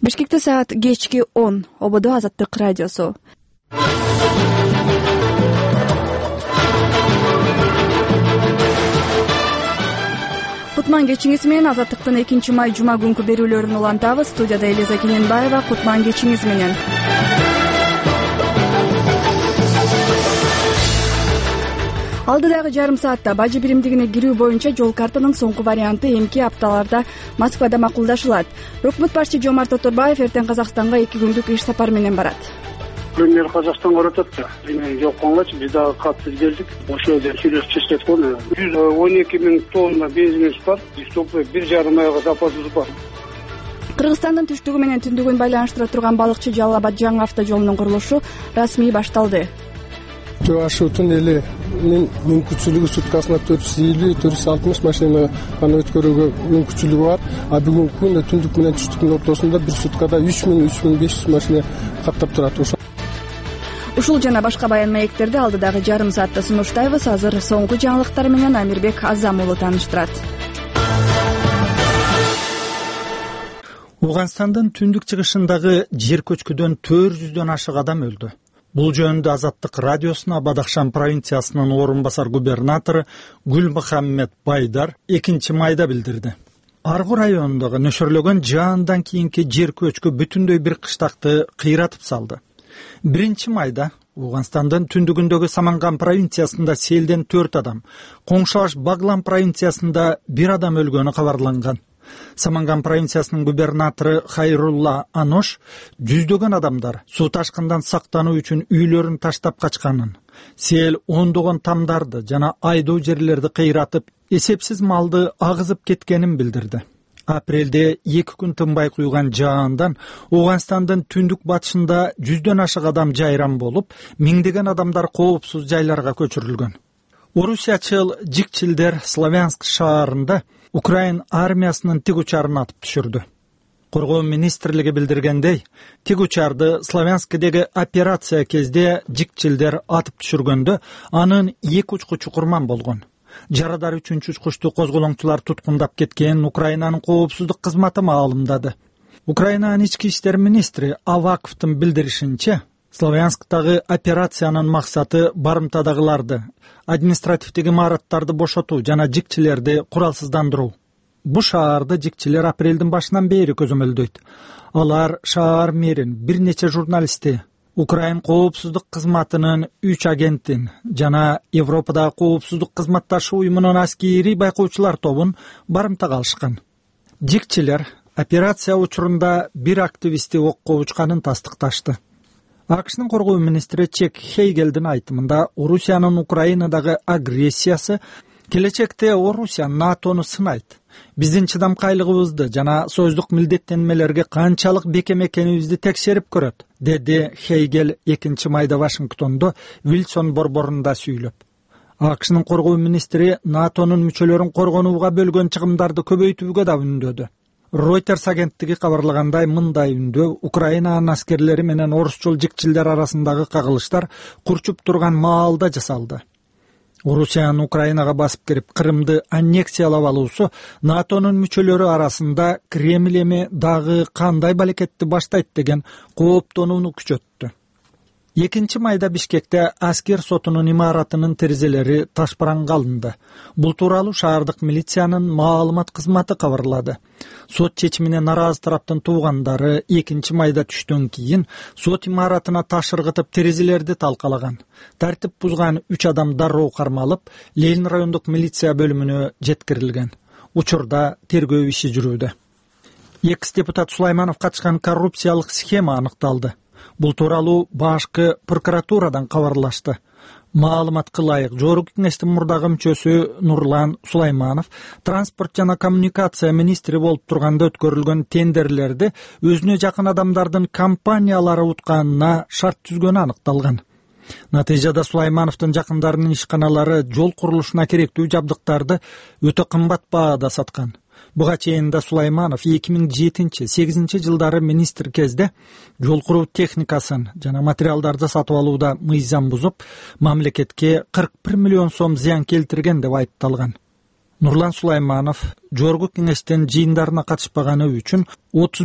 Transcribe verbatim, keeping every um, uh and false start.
Бишкекте саат кечки он. Ободо Азаттык радиосу. Кутман кечиңиз менен Азаттыктын экинчи май жума күнкү берүүлөрүн улантабыз. Студияда Элиза Кененбаева. Кутман кечиңиз менен. Алдыдагы жарым саатта бажы биримдигине кирүү боюнча жол картанын соңку варианты эмки апталарда Москвада макулдашылат. Өкмөт башчы Жомарт Оторбаев эртең Казакстанга эки күндүк иш сапар менен барат. Премьер Казакстанга баратат да. Мен жокконгачы биз дагы катты келдик. Ошол жерде сүйлөшүп чечтик го. жүз он эки миң тонна бензинибиз бар. Биз бир жарым айга запасыбыз бар. Кыргызстандын түштүгү менен түндүгүн байланыштыра турган балыкчы Жалал Абад жаңы автожолунун курулушу расмий башталды. Ашу туннелинин мүмкүнчүлүгү суткасына төрт жүз элүү төрт жүз алтымыш машина гана өткөрүүгө мүмкүнчүлүгү бар. А бүгүнкү күндө түндүк менен түштүктүн ортосунда бир суткада үч миң үч миң беш жүз машина каттап турат. Ушул жана башка баян маектерди алдыдагы жарым саатта сунуштайбыз. Азыр соңку жаңылыктар менен Амирбек Азам уулу тааныштырат. Ооганстандын түндүк чыгышындагы жер көчкүдөн төрт жүздөн ашык адам өлдү. Бул жөнүндө Азаттык радиосуна Бадахшан провинциясынын орун басар губернатору Гүлмухаммед Байдар экинчи майда билдирди. Аргу районундагы нөшөрлөгөн жаандан кийинки жер көчкү бүтүндөй бир кыштакты кыйратып салды. биринчи майда Ооганстандын түндүгүндөгү Саманган провинциясында селден төрт адам, коңшулаш Баглан провинциясында бир адам өлгөнү кабарланган. Саманган провинциясынын губернатору Хайрулла Анош жүздөгөн адамдар суу ташкындан сактануу үчүн үйлөрүн таштап качканын, сел ондогон тамдарды жана айдоо жерлерди кыйратып, эсепсиз малды агызып кеткенин билдирди. Апрелде эки күн тынбай куйган жаандан Ооганстандын түндүк батышында жүздөн ашык адам жайран болуп, миңдеген адамдар коопсуз жайларга көчүрүлгөн. Орусиячыл жикчилдер Славянск шаарында Украин армиясынын тиг учарын атып түшүрдү. Коргоо министрлиги билдиргендей, тиг учарды Славянскдеги операция кезде жикчилдер атып түшүргөндө анын эки учку чукурман болгон. Жарадар үчүнчү учкучту козголоңчулар туткундап кеткен Украинанын коопсуздук кызматы маалымдады. Украинанын ички иштер министри Аваковдун билдиришинче, Славянсктагы операциянын максаты барымтадагыларды, административдик имараттарды бошотуу жана жикчилерди куралсыздандыруу. Бу шаарды жикчилер апрелдин башынан бери көзөмөлдөйт. Алар шаар мэрин, бир нече журналистти, Украин коопсуздук кызматынын үч агентин жана Европадагы коопсуздук кызматташуу уюмунун аскери байкоочулар тобун барымтага алышкан. Жикчилер операция учурунда бир активистти окко учканын тастыкташты. АКШнын коргоо министри Чек Хейгелдин айтымында Орусиянын Украинадагы агрессиясы келечекте Орусия НАТОну сынайт. Биздин чыдамкайлыгыбызды жана союздук милдеттенмелерге канчалык бекем экенибизди текшерип көрөт, деди Хейгел экинчи майда Вашингтондо Вилсон борборунда сүйлөп. АКШнын коргоо министри НАТОнун мүчөлөрүн коргонууга бөлгөн чыгымдарды көбөйтүүгө да үндөдү. Reuters агенттиги кабарлагандай, мындай үндөө Украинанын аскерлери менен орусчул жикчилдер арасындагы кагылыштар курчуп турган маалда жасалды. Орусиянын Украинага басып кирип Крымды аннексиялап алуусу НАТОнун мүчөлөрү арасында Кремль эми дагы кандай балекетти баштайт деген кооптонууну күчөттү. экинчи майда Бишкекте аскер сотунун имаратынын терезелери ташпаранга алынды. Бул тууралуу шаардык милициянын маалымат кызматы кабарлады. Сот чечимине наразы тараптын туугандары экинчи майда түштөн кийин сот имаратына таш ыргытып терезелерди талкалаган. Тартип бузган үч адам дароо кармалып, Ленин райондук милиция бөлүмүнө жеткирилген. Учурда тергөө иши жүрүүдө. Экс-депутат Сулайманов катышкан коррупциялык схема аныкталды. Бул тууралуу башкы прокуратурадан кабарлашты. Маалыматка ылайык, жогорку кеңештин мурдагы мүчөсү Нурлан Сулайманов транспорт жана коммуникация министри болуп турганда өткөрүлгөн тендерлерди өзүнө жакын адамдардын компаниялары утканына шарт түзгөнү аныкталган. Натыйжада Сулаймановдун жакындарынын ишканалары жол курулушуна керектүү жабдыктарды өтө кымбат баада саткан. Буга чейин да Сулайманов эки миң жетинчи сегизинчи жылдары министр кезде жол куруу техникасын жана материалдарды сатып алууда мыйзам бузуп, мамлекетке кырк бир миллион сом зыян келтирген деп айыпталган. Нурлан Сулайманов жогорку кеңештин жыйындарына катышпаганы үчүн отуз